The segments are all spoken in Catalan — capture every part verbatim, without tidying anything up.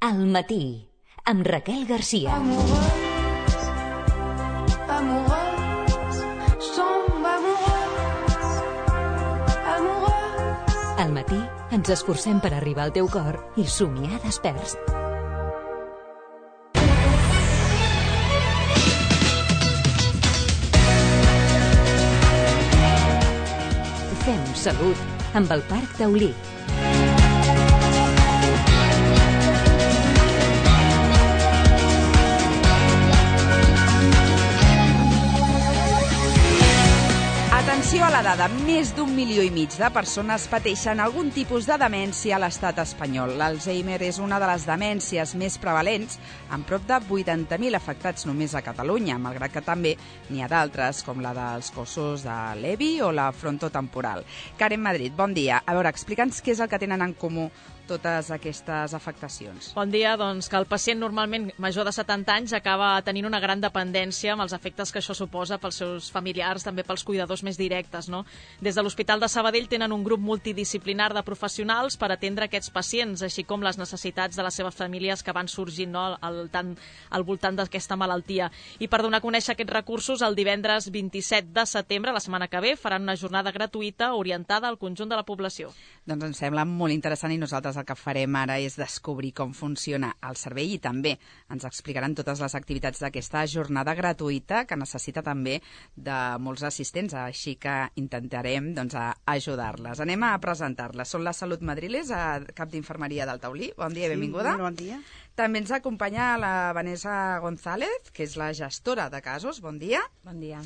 Al matí, amb Raquel Garcia. Amoureuse, amoureuse, je tombe amoureuse, amoureuse. Al matí ens esforcem per arribar al teu cor i somiar desperts. Fem salut amb el Parc Taulí. Atenció a la dada, més d'un milió i mig de persones pateixen algun tipus de demència a l'estat espanyol. L'Alzheimer és una de les demències més prevalents, amb prop de vuitanta mil afectats només a Catalunya, malgrat que també n'hi ha d'altres, com la dels cossos de Levi o la frontotemporal. Karen Madrid, bon dia. A veure, explica'ns què és el que tenen en comú totes aquestes afectacions. Bon dia, doncs que el pacient normalment major de setanta anys acaba tenint una gran dependència amb els efectes que això suposa pels seus familiars, també pels cuidadors més directes, no? Des de l'Hospital de Sabadell tenen un grup multidisciplinar de professionals per atendre aquests pacients, així com les necessitats de les seves famílies que van sorgint, no, al, tant, al voltant d'aquesta malaltia. I per donar a conèixer aquests recursos, el divendres vint-i-set de setembre, la setmana que ve, faran una jornada gratuïta orientada al conjunt de la població. Doncs ens sembla molt interessant i nosaltres el que farem ara és descobrir com funciona el servei i també ens explicaran totes les activitats d'aquesta jornada gratuïta que necessita també de molts assistents, així que intentarem doncs, ajudar-les. Anem a presentar-les. Són la Salut Madriles, a cap d'infermeria del Taulí. Bon dia i benvinguda. Sí, bon dia. També ens acompanya la Vanessa González, que és la gestora de casos. Bon dia. Bon dia.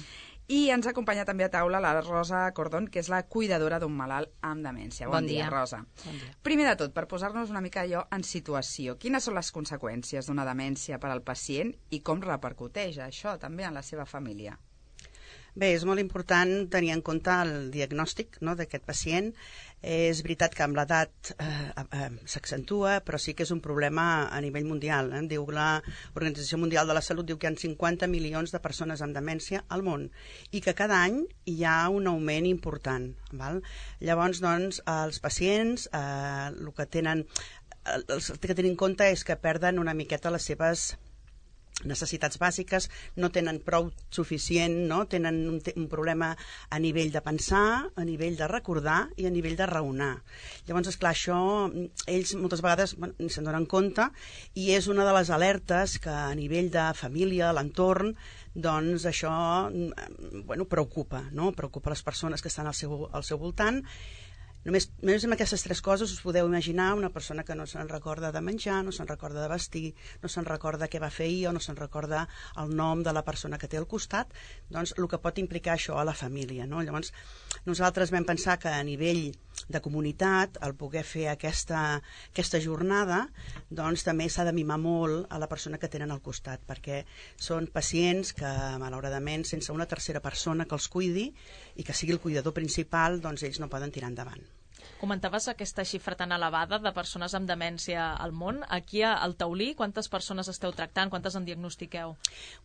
I ens acompanya també a taula la Rosa Cordón, que és la cuidadora d'un malalt amb demència. Bon, bon dia, dia, Rosa. Bon dia. Primer de tot, per posar-nos una mica allò en situació, quines són les conseqüències d'una demència per al pacient i com repercuteix això també en la seva família? Bé, és molt important tenir en compte el diagnòstic, no, d'aquest pacient. És veritat que amb l'edat eh, eh, s'accentua, però sí que és un problema a nivell mundial. Eh? Diu la Organització Mundial de la Salut diu que hi ha cinquanta milions de persones amb demència al món i que cada any hi ha un augment important. Val? Llavors, doncs, els pacients eh, el que tenen, el, el que tenen en compte és que perden una miqueta les seves necessitats bàsiques, no tenen prou suficient, no? Tenen un, un problema a nivell de pensar, a nivell de recordar i a nivell de raonar. Llavors, esclar, això ells moltes vegades bueno, ni se'n donen compte i és una de les alertes que a nivell de família, l'entorn, doncs això bueno, preocupa, no? Preocupa les persones que estan al seu, al seu voltant. Només, només amb aquestes tres coses us podeu imaginar una persona que no se'n recorda de menjar, no se'n recorda de vestir, no se'n recorda què va fer ahir o no se'n recorda el nom de la persona que té al costat, doncs el que pot implicar això a la família, no? Llavors, nosaltres vam pensar que a nivell de comunitat, el poder fer aquesta, aquesta jornada, doncs també s'ha de mimar molt a la persona que tenen al costat, perquè són pacients que, malauradament, sense una tercera persona que els cuidi i que sigui el cuidador principal, doncs ells no poden tirar endavant. Comentaves aquesta xifra tan elevada de persones amb demència al món. Aquí al Taulí, quantes persones esteu tractant? Quantes en diagnostiqueu?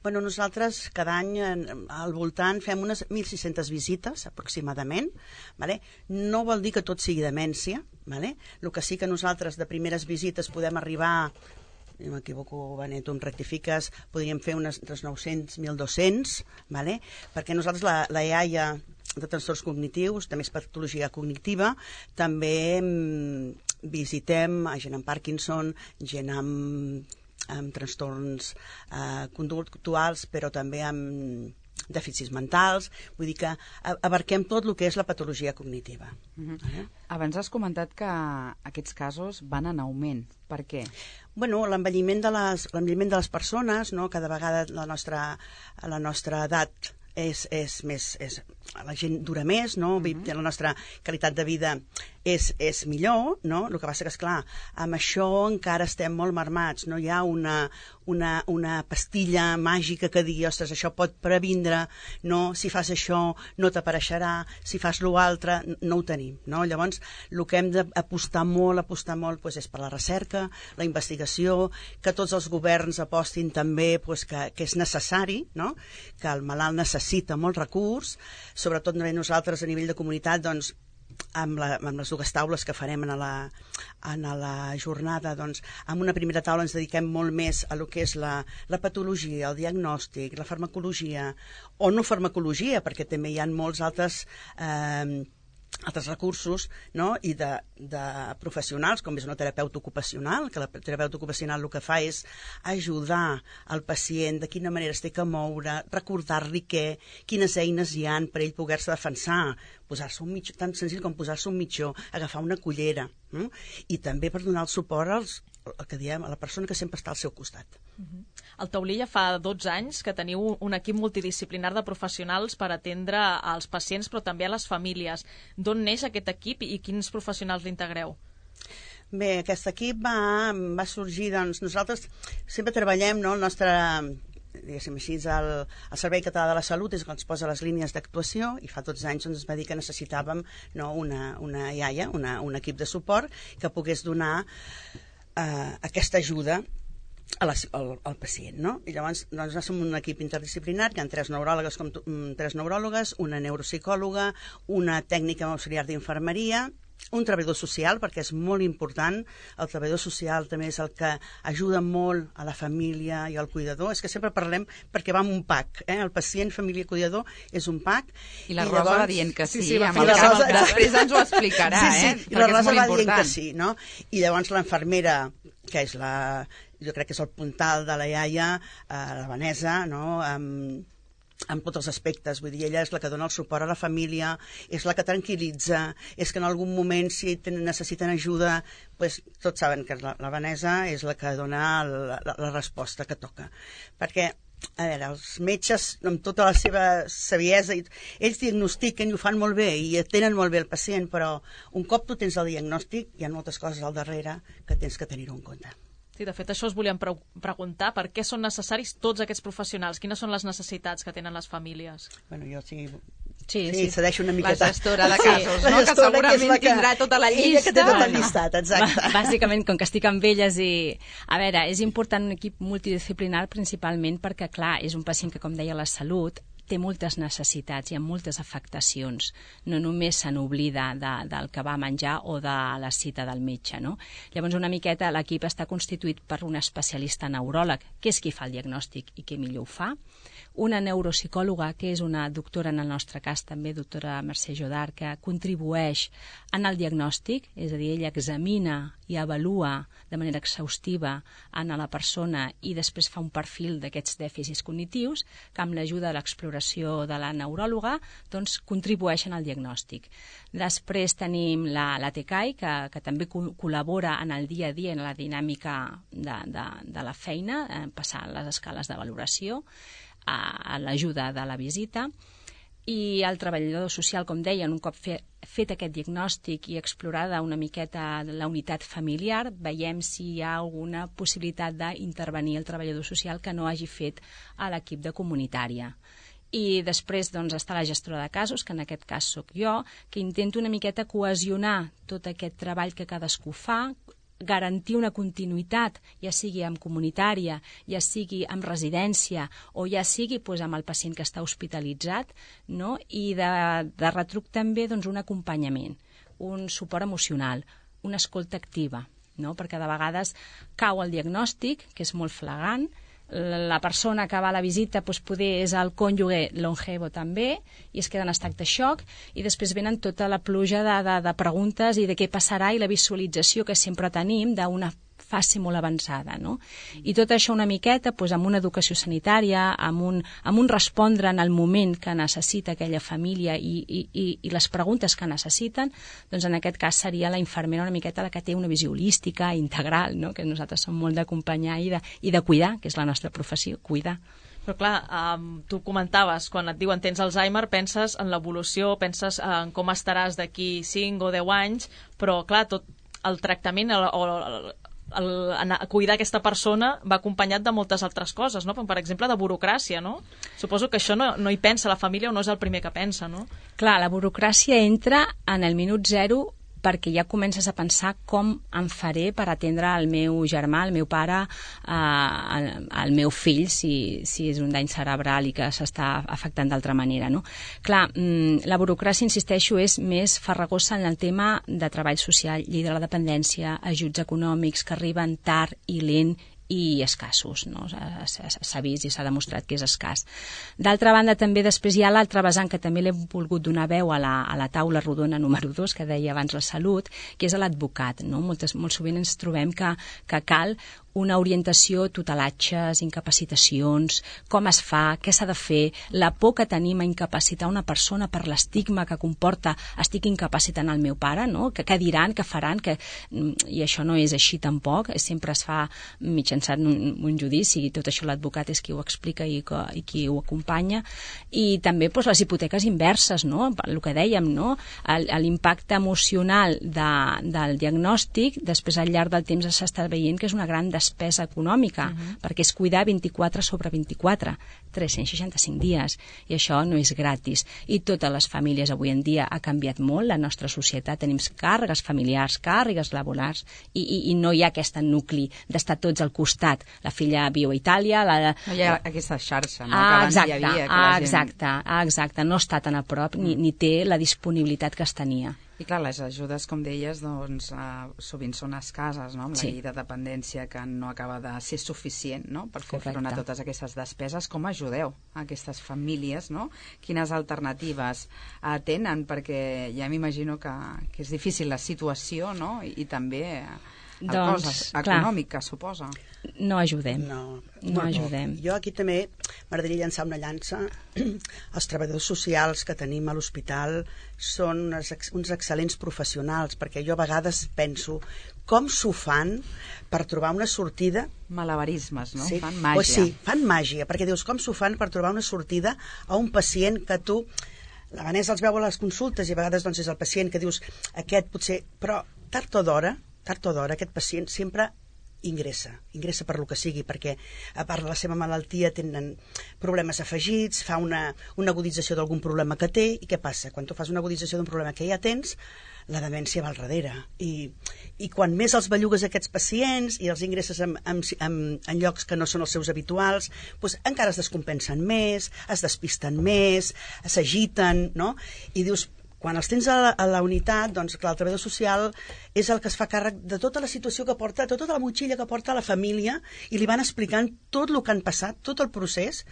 Bueno, nosaltres cada any al voltant fem unes mil sis-centes visites aproximadament. Vale? No vol dir que tot sigui demència. Vale? El que sí que nosaltres de primeres visites podem arribar, si m'equivoco, Benet, tu em rectifiques, podríem fer unes entre nou-cents i mil dos-cents, vale? Perquè nosaltres la, la E A I A de trastorns cognitius, també és patologia cognitiva, també mm, visitem a gent amb Parkinson, gent amb, amb trastorns eh, conductuals, però també amb dèficits mentals, vull dir que abarquem tot el que és la patologia cognitiva. Mm-hmm. eh? Abans has comentat que aquests casos van en augment. Per què? Bueno, l'envelliment de les, l'envelliment de les persones, no? Cada vegada la nostra, la nostra edat és, és més, és, la gent dura més, no? Mm-hmm. La nostra qualitat de vida és, és millor, no? El que passa que, esclar, amb això encara estem molt marmats, no hi ha una, una, una pastilla màgica que digui, ostres, això pot previndre, no? Si fas això no t'apareixerà, si fas l'altre, no ho tenim, no? Llavors, el que hem d'apostar molt, apostar molt, doncs, és per la recerca, la investigació, que tots els governs apostin també doncs, que, que és necessari, no? Que el malalt necessita molt recurs, sobretot nosaltres a nivell de comunitat, doncs, amb, la, amb les dues taules que farem en la, en la jornada, doncs, en una primera taula ens dediquem molt més a lo que és la, la patologia, el diagnòstic, la farmacologia, o no farmacologia, perquè també hi ha molts altres... Eh, altres recursos, no? I de, de professionals, com és una terapeuta ocupacional, que la terapeuta ocupacional el que fa és ajudar al pacient de quina manera es té que moure, recordar-li què, quines eines hi han per ell poder-se defensar, posar-se un mitjó, tan senzill com posar-se un mitjó, agafar una cullera, no? I també per donar el suport als, el que diem, a la persona que sempre està al seu costat. Uh-huh. Al Taulí ja fa dotze anys que teniu un equip multidisciplinar de professionals per atendre als pacients però també a les famílies. D'on neix aquest equip i quins professionals l'integreu? Bé, aquest equip va, va sorgir, doncs, nosaltres sempre treballem, no?, el nostre, diguéssim així, el, el Servei Català de la Salut és el que ens posa les línies d'actuació i fa dotze anys doncs, es va dir que necessitàvem, no, una, una iaia, una, un equip de suport que pogués donar eh, aquesta ajuda a la, al, al pacient, no? I llavors doncs, som un equip interdisciplinar, hi ha tres neuròlogues, com tu, tres neuròlogues, una neuropsicòloga, una tècnica auxiliar d'infermeria, un treballador social, perquè és molt important, el treballador social també és el que ajuda molt a la família i al cuidador, és que sempre parlem perquè va amb un pack, eh? El pacient, família i cuidador és un pack. I la I Rosa llavors... va dient que sí, sí, sí amb el cap, Rosa... després ens ho explicarà, sí, sí, eh? I la Rosa va dient que sí, no? I llavors l'infermera, que és la, jo crec que és el puntal de la iaia, eh, la Vanessa, no?, amb en tots els aspectes, vull dir, ella és la que dona el suport a la família, és la que tranquil·litza, és que en algun moment si necessiten ajuda, pues, tots saben que la, la Vanessa és la que dona la, la, la resposta que toca. Perquè, a veure, els metges, amb tota la seva saviesa, ells diagnostiquen i ho fan molt bé i atenen molt bé el pacient, però un cop tu tens el diagnòstic, hi ha moltes coses al darrere que tens que tenir-ho en compte. Sí, de fet, això us volíem pre preguntar, per què són necessaris tots aquests professionals? Quines són les necessitats que tenen les famílies? Bueno, jo sí... Sí, sí, sí. cedeixo una miqueta. La gestora de casos, sí, no? Que segurament que que... tindrà tota la llista. Ella que té tot el llistat, exacte. Bàsicament, com que estic amb elles i... A veure, és important un equip multidisciplinar principalment perquè, clar, és un pacient que, com deia la Salut, té moltes necessitats, hi ha moltes afectacions. No només se n'oblida de, del que va menjar o de la cita del metge, no? Llavors, una miqueta, l'equip està constituït per un especialista neuròleg, que és qui fa el diagnòstic i que millor ho fa, una neuropsicòloga, que és una doctora, en el nostre cas també, doctora Mercè Jodar, que contribueix en el diagnòstic, és a dir, ella examina i avalua de manera exhaustiva en la persona i després fa un perfil d'aquests dèficits cognitius que amb l'ajuda de l'exploració de la neuròloga doncs, contribueixen al diagnòstic. Després tenim la, la T C A I, que, que també co col·labora en el dia a dia en la dinàmica de, de, de la feina, eh, passant les escales de valoració, a l'ajuda de la visita, i el treballador social, com deien, un cop fe, fet aquest diagnòstic i explorada una miqueta la unitat familiar, veiem si hi ha alguna possibilitat d'intervenir el treballador social que no hagi fet a l'equip de comunitària. I després doncs, està la gestora de casos, que en aquest cas sóc jo, que intento una miqueta cohesionar tot aquest treball que cadascú fa, garantir una continuïtat, ja sigui amb comunitària, ja sigui amb residència o ja sigui doncs, amb el pacient que està hospitalitzat, no? I de, de retruc també doncs, un acompanyament, un suport emocional, una escolta activa, no? Perquè de vegades cau el diagnòstic, que és molt flagrant, la persona que va a la visita doncs, poder és el cònjuge longevo també i es queda en estat de xoc i després venen tota la pluja de, de, de preguntes i de què passarà i la visualització que sempre tenim d'una fase molt avançada, no? I tot això una miqueta doncs, amb una educació sanitària, amb un, amb un respondre en el moment que necessita aquella família i, i, i, i les preguntes que necessiten, doncs en aquest cas seria la infermera una miqueta la que té una visió holística, integral, no? Que nosaltres som molt d'acompanyar i, de, i de cuidar, que és la nostra professió, cuidar. Però clar, um, tu comentaves, quan et diuen tens Alzheimer, penses en l'evolució, penses en com estaràs d'aquí cinc o deu anys, però clar, tot el tractament el, o el, el, anar a cuidar aquesta persona va acompanyat de moltes altres coses, no? Per exemple, de burocràcia, no? Suposo que això no, no hi pensa la família o no és el primer que pensa, no? Clar, la burocràcia entra en el minut zero perquè ja comences a pensar com em faré per atendre el meu germà, el meu pare, eh, el, el meu fill, si, si és un dany cerebral i que s'està afectant d'altra manera, no? Clar, la burocràcia, insisteixo, és més farragosa en el tema de treball social, llei de la dependència, ajuts econòmics que arriben tard i lent i escassos, no? S'ha vist i s'ha demostrat que és escàs. D'altra banda, també després hi ha l'altre vessant que també l'he volgut donar veu a la, a la taula rodona número dos, que deia abans la salut, que és l'advocat, no? Moltes, molt sovint ens trobem que, que cal una orientació, tutelatges, incapacitacions, com es fa, què s'ha de fer, la por que tenim a incapacitar una persona per l'estigma que comporta estic incapacitant el meu pare, no? Que, què diran, què faran, que... i això no és així tampoc, sempre es fa mitjançant un, un judici i tot això l'advocat és qui ho explica i, que, i qui ho acompanya, i també doncs, les hipoteques inverses, no? El que dèiem, no? L'impacte emocional de, del diagnòstic, després al llarg del temps s'està veient que és una gran despesa econòmica, uh-huh. perquè és cuidar vint-i-quatre sobre vint-i-quatre, tres-cents seixanta-cinc dies, i això no és gratis. I totes les famílies avui en dia ha canviat molt, la nostra societat, tenim càrregues familiars, càrregues laborals, i, i, i no hi ha aquest nucli d'estar tots al costat. La filla viu a Itàlia... La... No hi ha aquesta xarxa, no? Ah, que abans exacte, hi havia. Que ah, la gent... exacte, ah, exacte, no està tan a prop, ni, ni té la disponibilitat que es tenia. I clar, les ajudes, com deies, doncs, uh, sovint són escases, no? Amb la sí. llei de dependència que no acaba de ser suficient, no? Per fer front a totes aquestes despeses. Com ajudeu a aquestes famílies, no? Quines alternatives uh, tenen? Perquè ja m'imagino que, que és difícil la situació, no? I, i també el doncs, cost econòmic que suposa. No ajudem. No, no ajudem. Jo aquí també m'agradaria llançar una llança. Els treballadors socials que tenim a l'hospital són uns, uns excel·lents professionals, perquè jo a vegades penso com s'ho fan per trobar una sortida. Malabarismes, no? Sí. Fan màgia. Pues sí, fan màgia, perquè dius com s'ho fan per trobar una sortida a un pacient que tu... La Vanessa els veu a les consultes i a vegades doncs, és el pacient que dius aquest potser... Però tard o d'hora, tard o d'hora, aquest pacient sempre ingressa, ingressa per lo que sigui, perquè a part de la seva malaltia tenen problemes afegits, fa una, una agudització d'algun problema que té, i què passa? Quan tu fas una agudització d'un problema que ja tens, la demència va al darrere, i, i quan més els bellugues aquests pacients i els ingresses en, en, en, en llocs que no són els seus habituals, doncs encara es descompensen més, es despisten més, s'agiten, no? I dius, quan els tens a la, a la unitat, doncs clar, el treballador social és el que es fa càrrec de tota la situació que porta, de tota la motxilla que porta la família, i li van explicant tot el que han passat, tot el procés,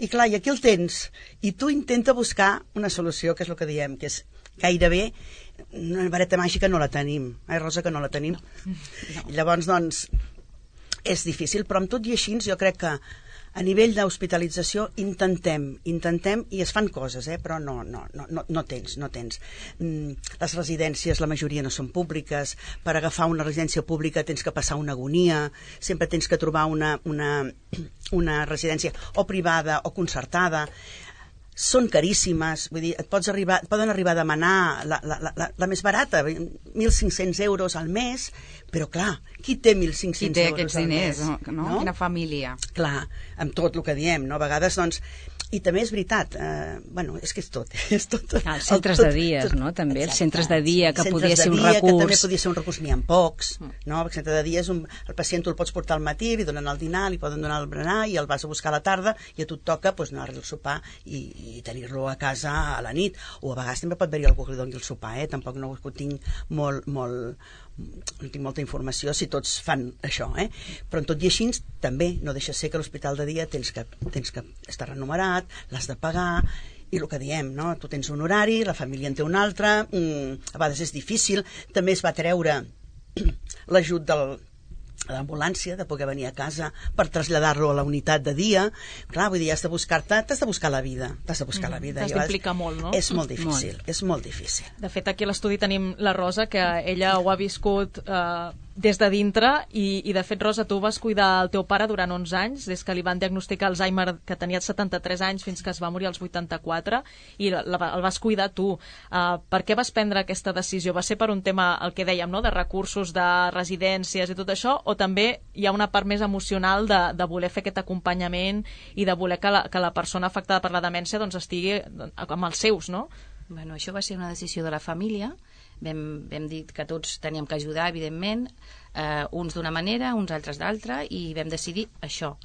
i clar, i aquí el tens, i tu intenta buscar una solució, que és el que diem, que és gairebé una vareta màgica no la tenim, eh, Rosa, que no la tenim. No. I llavors, doncs, és difícil, però amb tot i així jo crec que a nivell d'hospitalització intentem, intentem, i es fan coses, eh? Però no, no, no, no, no tens, no tens. Mm, les residències, la majoria no són públiques, per agafar una residència pública tens que passar una agonia, sempre tens que trobar una, una, una residència o privada o concertada, són caríssimes, vull dir, et pots arribar, et poden arribar a demanar la, la, la, la més barata, mil cinc-cents euros al mes, però clar, qui té mil cinc-cents euros al mes? No? No? Quina família? Clar, amb tot el que diem, no? A vegades, doncs, i també és veritat, eh, bueno, és que és tot, és tot. Ah, els centres tot, de dies, tot, no? També, exacte. Els centres de dia, que centres podia ser un dia, recurs. Que també podia ser un recurs, n'hi ha pocs, no? El centre de dia és un... El pacient tu el pots portar al matí, li donen el dinar, li poden donar el berenar, i el vas a buscar a la tarda, i a tu et toca pues, anar-li al sopar i, i tenir-lo a casa a la nit. O a vegades també pot haver-hi algú que li doni el sopar, eh? Tampoc no ho tinc molt... molt no tinc molta informació si tots fan això, eh? Però en tot i així també no deixa ser que l'hospital de dia tens que, tens que estar renumerat, l'has de pagar, i el que diem, no? Tu tens un horari, la família en té un altre, mm, a vegades és difícil. També es va treure l'ajut del a l'ambulància, de poder venir a casa per traslladar-lo a la unitat de dia. Clar, vull dir, has de buscar-te, t'has de buscar la vida, t'has de buscar mm, la vida. T'has d'implicar molt, no? És molt difícil, molt. és molt difícil. De fet, aquí a l'estudi tenim la Rosa, que ella ho ha viscut eh, des de dintre, i, i de fet, Rosa, tu vas cuidar el teu pare durant onze anys, des que li van diagnosticar Alzheimer, que tenia setanta-tres anys, fins que es va morir als vuitanta-quatre, i la, la, el vas cuidar tu. Uh, per què vas prendre aquesta decisió? Va ser per un tema, el que dèiem, no?, de recursos, de residències i tot això, o també hi ha una part més emocional de, de voler fer aquest acompanyament i de voler que la, que la persona afectada per la demència doncs, estigui amb els seus, no? Bueno, això va ser una decisió de la família. vam, vam dir que tots teníem que ajudar, evidentment, eh, uns d'una manera, uns altres d'altra, i vam decidir això.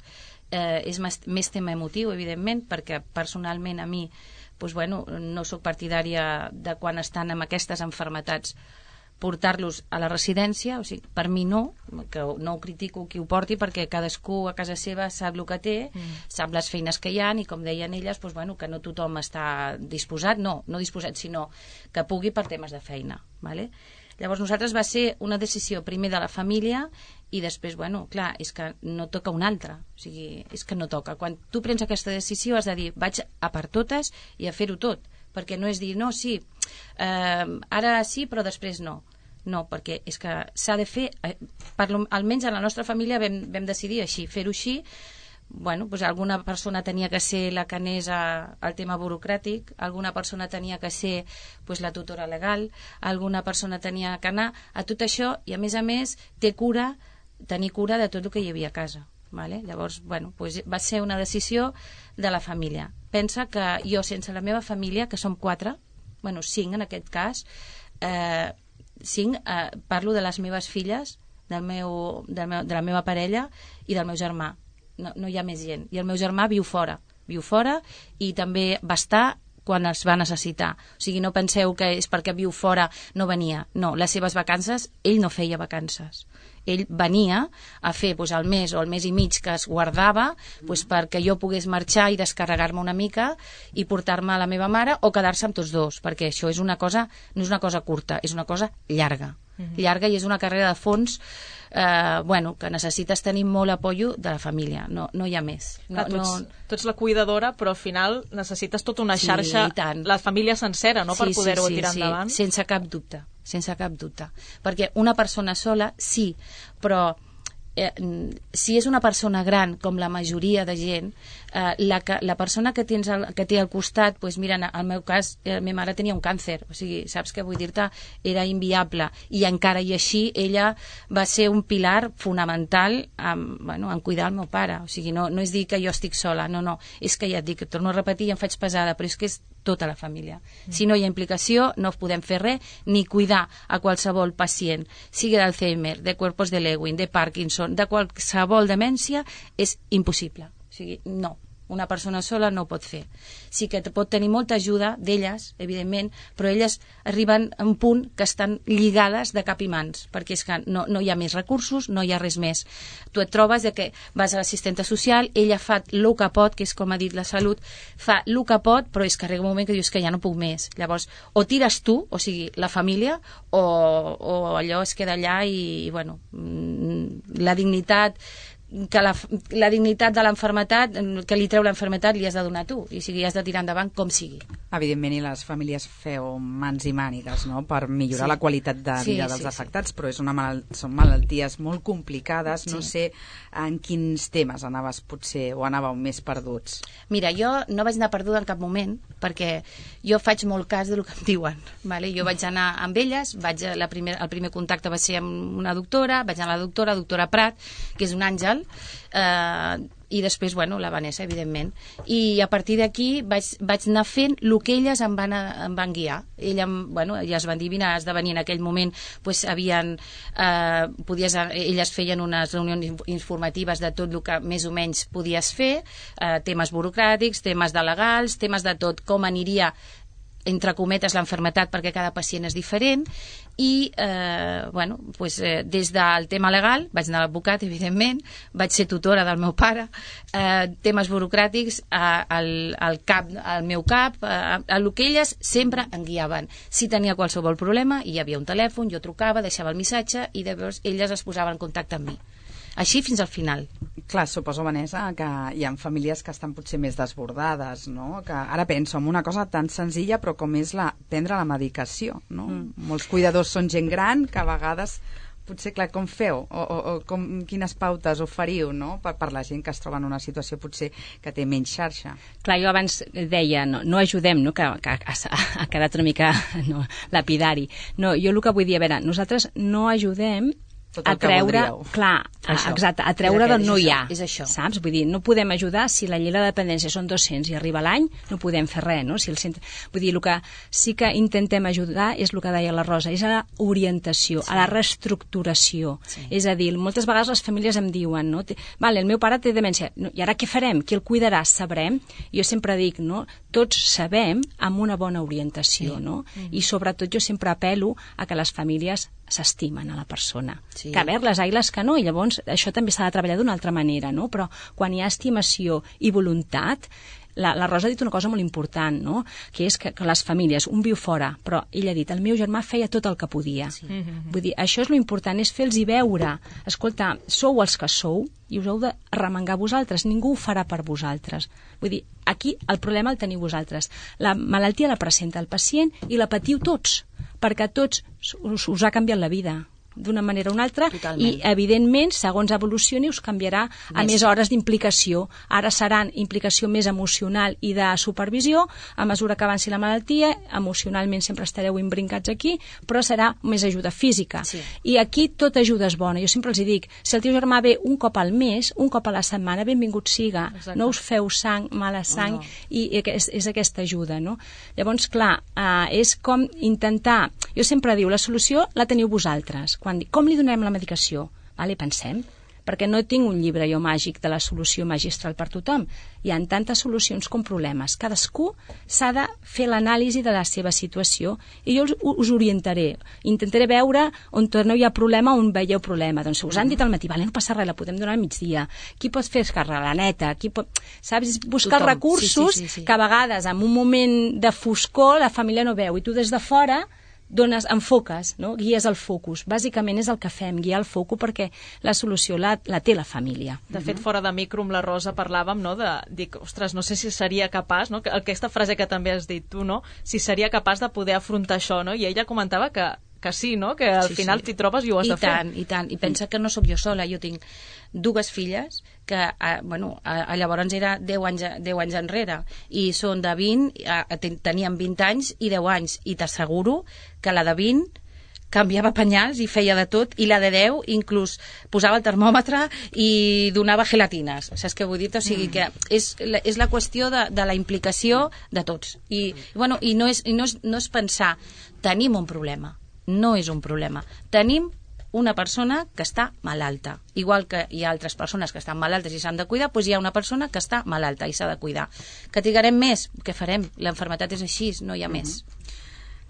Eh, és més, més tema emotiu, evidentment, perquè personalment a mi doncs, bueno, no sóc partidària de quan estan amb aquestes malalties portar-los a la residència, o sigui, per mi no, que no ho critico qui ho porti, perquè cadascú a casa seva sap el que té, mm. sap les feines que hi ha, i com deien elles, doncs, bueno, que no tothom està disposat, no, no disposat, sinó que pugui per temes de feina. ¿Vale? Llavors nosaltres va ser una decisió primer de la família i després, bueno, clar, és que no toca una altra, o sigui, és que no toca. Quan tu prens aquesta decisió has de dir, vaig a per totes i a fer-ho tot, perquè no és dir, no, sí, eh, ara sí, però després no. No, perquè és que s'ha de fer, eh, per, almenys a la nostra família vam, vam decidir així, fer-ho així. Bueno, doncs alguna persona tenia que ser la que anés a, al tema burocràtic, alguna persona tenia que ser doncs, la tutora legal, alguna persona tenia que anar a tot això, i a més a més té cura, tenir cura de tot el que hi havia a casa. Vale? Llavors, bueno, doncs va ser una decisió de la família. Pensa que jo, sense la meva família, que som quatre, bueno, cinc en aquest cas, eh, cinc, eh, parlo de les meves filles, del meu, del meu, de la meva parella i del meu germà. No, no hi ha més gent. I el meu germà viu fora. Viu fora i també va estar quan es va necessitar. O sigui, no penseu que és perquè viu fora no venia. No, les seves vacances, ell no feia vacances. Ell venia a fer doncs, el mes o el mes i mig que es guardava doncs, perquè jo pogués marxar i descarregar-me una mica i portar-me a la meva mare o quedar-se amb tots dos, perquè això és una cosa, no és una cosa curta, és una cosa llarga. Mm-hmm. Llarga i és una carrera de fons eh, bueno, que necessites tenir molt apoyo de la família, no, no hi ha més. No, Clar, tu, ets, no... tu ets la cuidadora, però al final necessites tota una Sí, xarxa, i tant. la família sencera, no?, Sí, per poder-ho sí, sí, tirar sí, endavant. sense cap dubte, sense cap dubte. Perquè una persona sola, sí, però eh, si és una persona gran, com la majoria de gent, eh, la, la persona que, tens al, que té al costat, doncs mira, en el meu cas, eh, la meva mare tenia un càncer, o sigui, saps què vull dir-te? Era inviable, i encara i així ella va ser un pilar fonamental en, bueno, en cuidar el meu pare. O sigui, no, no és dir que jo estic sola, no, no, és que ja et dic, torno a repetir i em faig pesada, però és que és tota la família. Mm. Si no hi ha implicació, no podem fer res, ni cuidar a qualsevol pacient, sigui d'Alzheimer, de cuerpos de Lewin, de Parkinson, de qualsevol demència, és impossible. O sigui, no. Una persona sola no ho pot fer. Sí que pot tenir molta ajuda d'elles, evidentment, però elles arriben a un punt que estan lligades de cap i mans, perquè és que no, no hi ha més recursos, no hi ha res més. Tu et trobes de que vas a l'assistenta social, ella fa el que pot, que és com ha dit la Salut, fa el que pot, però és que arriba un moment que dius que ja no puc més. Llavors, o tires tu, o sigui, la família, o, o allò es queda allà i, i bueno, la dignitat que la, la dignitat de l'enfermetat, que li treu l'enfermetat, li has de donar tu, i sigui, has de tirar endavant com sigui. Evidentment, i les famílies feu mans i mànigues, no?, per millorar Sí. la qualitat de Sí, vida sí, dels sí. afectats, però és una mal... són malalties molt complicades, no Sí. sé en quins temes anaves potser, o anàveu més perduts. Mira, jo no vaig anar perduda en cap moment, perquè jo faig molt cas del que em diuen. Vale? Jo vaig anar amb elles, vaig a la primer, el primer contacte va ser amb una doctora, vaig anar a la doctora, doctora Prat, que és un àngel, eh, i després, bueno, la Vanessa, evidentment. I a partir d'aquí vaig, vaig anar fent el que elles em van, em van guiar. Ella, bueno, elles van dir, vine, has de venir en aquell moment, pues, havien, eh, podies, elles feien unes reunions informatives de tot el que més o menys podies fer, eh, temes burocràtics, temes de legals, temes de tot, com aniria entre cometes l'enfermetat, perquè cada pacient és diferent, i eh, bueno, pues, eh, des del tema legal vaig anar a l'advocat, evidentment, vaig ser tutora del meu pare, eh, temes burocràtics eh, al, al cap, al meu cap, eh, a lo que elles sempre em guiaven. Si tenia qualsevol problema, hi havia un telèfon, jo trucava, deixava el missatge i llavors elles es posaven en contacte amb mi. Així fins al final. Clar, suposo, Vanessa, que hi ha famílies que estan potser més desbordades, no? Que ara penso en una cosa tan senzilla, però com és la, prendre la medicació, no? Mm. Molts cuidadors són gent gran, que a vegades potser, clar, com feu? O, o, o com, quines pautes oferiu, no?, per, per la gent que es troba en una situació potser que té menys xarxa. Clar, jo abans deia, no, no ajudem, no?, que, que ha, ha quedat una mica no, lapidari. No, jo el que vull dir, a veure, nosaltres no ajudem tot el a treure, que voldríeu. clar, Això. exacte, a treure És d'on aquest, no és hi ha, això, és això. saps? Vull dir, no podem ajudar si la llei de la dependència són dos-cents i arriba l'any, no podem fer res, no? Si el centre... Vull dir, el que sí que intentem ajudar és el que deia la Rosa, és a la orientació, sí. a la reestructuració. Sí. És a dir, moltes vegades les famílies em diuen, no? Vale, el meu pare té demència, no, i ara què farem? Qui el cuidarà? Sabrem? Jo sempre dic, no? Tots sabem amb una bona orientació, sí. no? Mm-hmm. I sobretot jo sempre apel·lo a que les famílies s'estimen a la persona. Sí. Que a veure, les ailes que no, i llavors això també s'ha de treballar d'una altra manera, no? Però quan hi ha estimació i voluntat, la, la Rosa ha dit una cosa molt important, no? Que és que, que les famílies, un viu fora, però ella ha dit, el meu germà feia tot el que podia. Sí. Vull dir, això és lo important, és fer-los veure, escolta, sou els que sou i us heu de remengar vosaltres, ningú ho farà per vosaltres. Vull dir, aquí el problema el teniu vosaltres. La malaltia la presenta el pacient i la patiu tots, perquè a tots us, us ha canviat la vida d'una manera o una altra. Totalment. I evidentment, segons evolucioni, us canviarà a més, més hores d'implicació. Ara seran implicació més emocional i de supervisió, a mesura que avanci la malaltia, emocionalment sempre estareu imbrincats aquí, però serà més ajuda física. Sí. I aquí tota ajuda és bona. Jo sempre els dic, si el teu germà ve un cop al mes, un cop a la setmana, benvingut siga. Exacte. No us feu sang, mala sang, oh, no. i és, és aquesta ajuda, no? Llavors, clar, eh, és com intentar... Jo sempre diu, la solució la teniu vosaltres. Quan dic, com li donem la medicació? Vale, pensem, perquè no tinc un llibre jo màgic de la solució magistral per tothom. Hi ha tantes solucions com problemes. Cadascú s'ha de fer l'anàlisi de la seva situació i jo us, us orientaré. Intentaré veure on no hi ha problema, on veieu problema. Doncs us han dit al matí, vale, no passa res, la podem donar al migdia. Qui pot fer escarrar la neta? Qui pot... Saps? Buscar Tothom. recursos sí, sí, sí, sí. que a vegades en un moment de foscor la família no veu i tu des de fora dones, enfoques, no? Guies el focus. Bàsicament és el que fem, guiar el focus perquè la solució la, la té la família. De fet, fora de micro amb la Rosa parlàvem, no?, de, dic, ostres, no sé si seria capaç, no?, aquesta frase que també has dit tu, no?, si seria capaç de poder afrontar això, no?, i ella comentava que, que sí, no?, que al sí, final sí. t'hi trobes i ho has I de fer. I tant, i tant, i pensa que no sóc jo sola, jo tinc dues filles que, a, bueno, a, a llavors era deu anys, deu anys enrere i són de vint, a, a, tenien vint anys i deu anys, i t'asseguro que la de vint canviava penyals i feia de tot, i la de deu inclús posava el termòmetre i donava gelatines, saps què vull dir? O sigui que és la, és la qüestió de, de la implicació de tots. I, bueno, i, no, és, i no, és, no és pensar, tenim un problema, no és un problema, tenim una persona que està malalta. Igual que hi ha altres persones que estan malaltes i s'han de cuidar, doncs hi ha una persona que està malalta i s'ha de cuidar. Que trigarem més? Què farem? L'enfermetat és així, no hi ha uh-huh. més.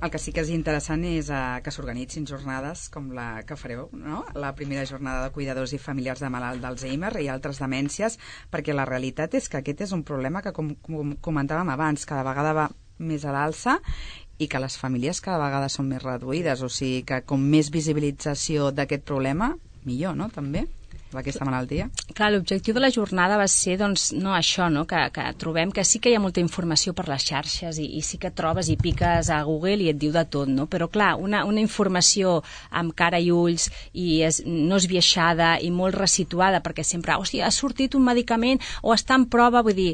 El que sí que és interessant és uh, que s'organitzin jornades com la que fareu, no? La primera jornada de cuidadors i familiars de malalt d'Alzheimer i altres demències, perquè la realitat és que aquest és un problema que, com, com comentàvem abans, cada vegada va més a l'alça i que les famílies cada vegada són més reduïdes, o sigui que com més visibilització d'aquest problema, millor, no?, també, d'aquesta malaltia. Clar, l'objectiu de la jornada va ser, doncs, no això, no?, que, que trobem que sí que hi ha molta informació per les xarxes i, i sí que trobes i piques a Google i et diu de tot, no?, però clar, una, una informació amb cara i ulls i és, no esbiaixada i molt resituada, perquè sempre, hòstia, ha sortit un medicament o està en prova, vull dir,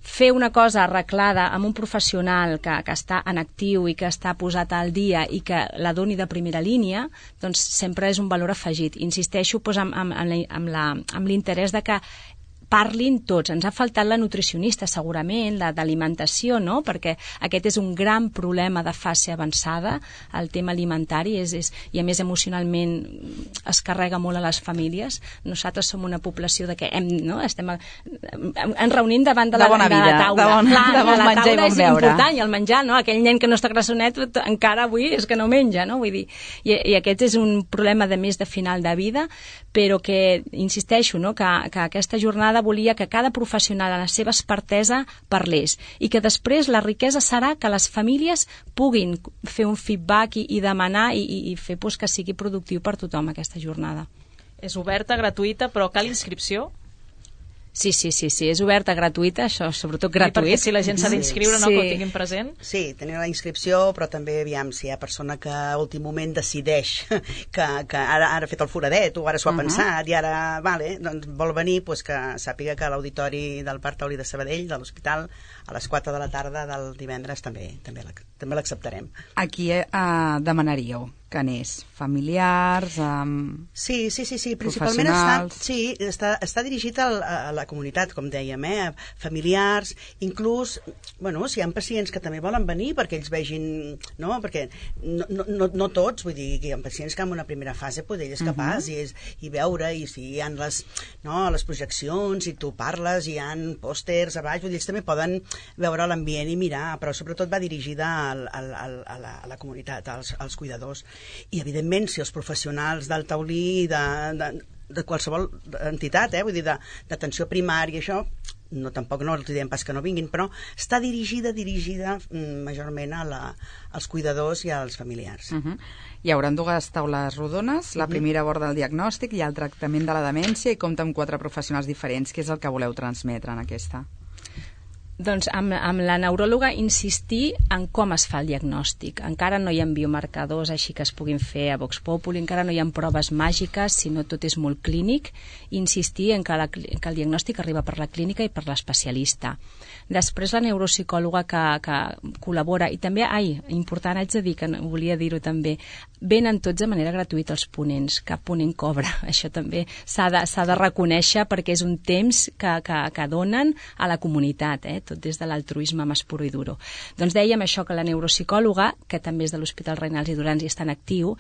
fer una cosa arreglada amb un professional que, que està en actiu i que està posat al dia i que la doni de primera línia, doncs sempre és un valor afegit. Insisteixo doncs, amb, amb, amb, la, amb, la, amb l'interès de que parlin tots. Ens ha faltat la nutricionista, segurament, la d'alimentació, no?, perquè aquest és un gran problema de fase avançada, el tema alimentari, és, és, i a més emocionalment es carrega molt a les famílies. Nosaltres som una població de que hem, no?, estem a, ens reunim davant de la, de, de la taula. De bon, Clar, de bon la menjar i bon és beure. important, i el menjar, no?, aquell nen que no està grassonet encara avui és que no menja, no?, vull dir, i, i aquest és un problema de més de final de vida, però que, insisteixo, no?, que, que aquesta jornada volia que cada professional a la seva expertesa parlés i que després la riquesa serà que les famílies puguin fer un feedback i, i demanar i, i fer pues, que sigui productiu per tothom aquesta jornada. És oberta, gratuïta, però cal inscripció? Sí, sí, sí, sí, és oberta, gratuïta, això, sobretot gratuït. I perquè si la gent s'ha d'inscriure, no, sí. que ho tinguin present? Sí, tenir la inscripció, però també, aviam, si hi ha persona que a últim moment decideix que, que ara, ara ha fet el foradet o ara s'ho ha uh -huh. pensat i ara, vale, doncs vol venir, pues que sàpiga que a l'auditori del Parc Taulí de Sabadell, de l'hospital, a les quatre de la tarda del divendres també també l'acceptarem. A qui eh, demanaríeu que n'és familiars, um, Sí, sí, sí, sí. Principalment està, professionals... sí, està, està dirigit al, a la comunitat, com dèiem, eh? familiars, inclús, bueno, si hi ha pacients que també volen venir perquè ells vegin, no? Perquè no, no, no, no tots, vull dir, que hi ha pacients que en una primera fase pues, ell és capaç uh -huh. i, és, i veure, i si hi ha les, no, les projeccions, i tu parles, hi ha pòsters a baix, vull dir, ells també poden veure l'ambient i mirar, però sobretot va dirigida al, al, al, a, la, a la comunitat, als, als cuidadors. I, evidentment, si els professionals del taulí, de, de, de qualsevol entitat, eh, vull dir, d'atenció primària, això, no, tampoc no els diem pas que no vinguin, però està dirigida, dirigida mm, majorment a la, als cuidadors i als familiars. Uh -huh. Hi haurà dues taules rodones, la primera aborda el diagnòstic i el tractament de la demència i compta amb quatre professionals diferents. Què és el que voleu transmetre en aquesta? Doncs amb, amb la neuròloga insistir en com es fa el diagnòstic. Encara no hi ha biomarcadors així que es puguin fer a Vox Populi, encara no hi ha proves màgiques, sinó tot és molt clínic. Insistir en que, la, que el diagnòstic arriba per la clínica i per l'especialista. Després la neuropsicòloga que, que col·labora, i també, ai, important, haig de dir, que volia dir-ho també, venen tots de manera gratuïta els ponents, cap ponent cobra, això també s'ha de, s'ha de reconèixer perquè és un temps que, que, que donen a la comunitat, eh? Tot des de l'altruisme més puro i duro. Doncs dèiem això, que la neuropsicòloga, que també és de l'Hospital Reinals i Durans i està en actiu,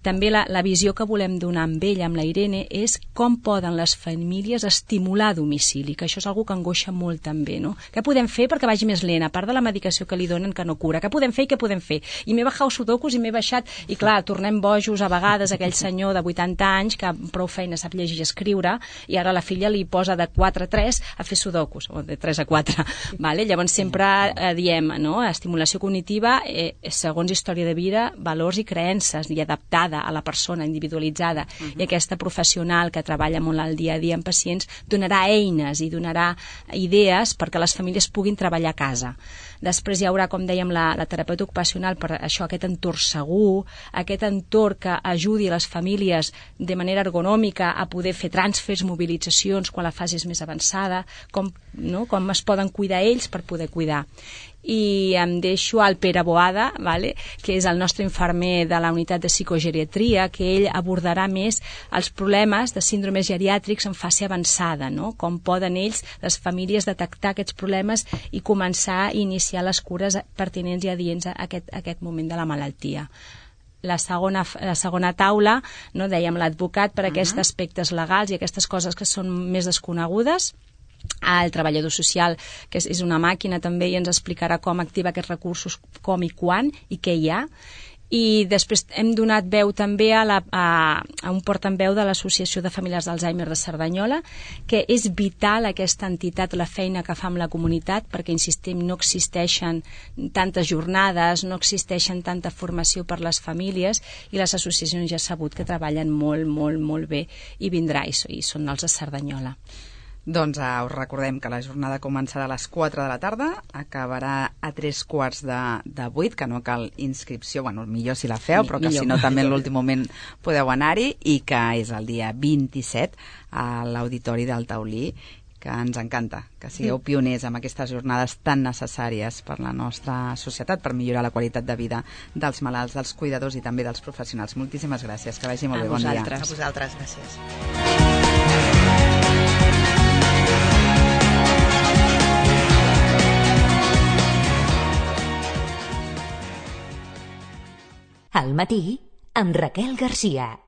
també la, la visió que volem donar amb ella, amb la Irene, és com poden les famílies estimular a domicili, que això és una cosa que angoixa molt també, no? Què podem fer perquè vagi més lent, a part de la medicació que li donen que no cura? Què podem fer i què podem fer? I m'he baixat sudokus i m'he baixat, i clar, tornem bojos a vegades aquell senyor de vuitanta anys que amb prou feina sap llegir i escriure, i ara la filla li posa de quatre a tres a fer sudokus, o de tres a quatre. Vale? Llavors sempre eh, diem, no? Estimulació cognitiva eh, segons història de vida, valors i creences, i adaptada a la persona, individualitzada. Uh -huh. I aquesta professional que treballa molt al dia a dia amb pacients donarà eines i donarà idees perquè les famílies puguin treballar a casa. Després hi haurà, com dèiem, la, la terapeuta ocupacional per això, aquest entorn segur, aquest entorn que ajudi a les famílies de manera ergonòmica a poder fer transfers, mobilitzacions quan la fase és més avançada, com, no? com es poden cuidar ells per poder cuidar. I em deixo al Pere Boada, vale? Que és el nostre infermer de la unitat de psicogeriatria, que ell abordarà més els problemes de síndromes geriàtrics en fase avançada, no? Com poden ells, les famílies, detectar aquests problemes i començar a iniciar les cures pertinents i adients a aquest, a aquest moment de la malaltia. La segona, la segona taula, no, dèiem l'advocat per uh -huh. aquests aspectes legals i aquestes coses que són més desconegudes. El treballador social, que és una màquina també, i ens explicarà com activar aquests recursos, com i quan, i què hi ha. I després hem donat veu també a, la, a, a un portaveu de l'Associació de Familiars d'Alzheimer de Cerdanyola, que és vital aquesta entitat, la feina que fa amb la comunitat, perquè, insistim, no existeixen tantes jornades, no existeixen tanta formació per les famílies, i les associacions ja sabut que treballen molt, molt, molt bé, i vindrà, i, i són els de Cerdanyola. Doncs uh, us recordem que la jornada començarà a les quatre de la tarda, acabarà a tres quarts de, de vuit, que no cal inscripció, bueno, millor si la feu, però que millor. Si no també en l'últim moment podeu anar-hi, i que és el dia vint-i-set a l'Auditori del Taulí, que ens encanta que sigueu pioners amb aquestes jornades tan necessàries per la nostra societat, per millorar la qualitat de vida dels malalts, dels cuidadors i també dels professionals. Moltíssimes gràcies, que vagi molt bé, bon dia. A vosaltres, gràcies. Al matí, amb Raquel Garcia.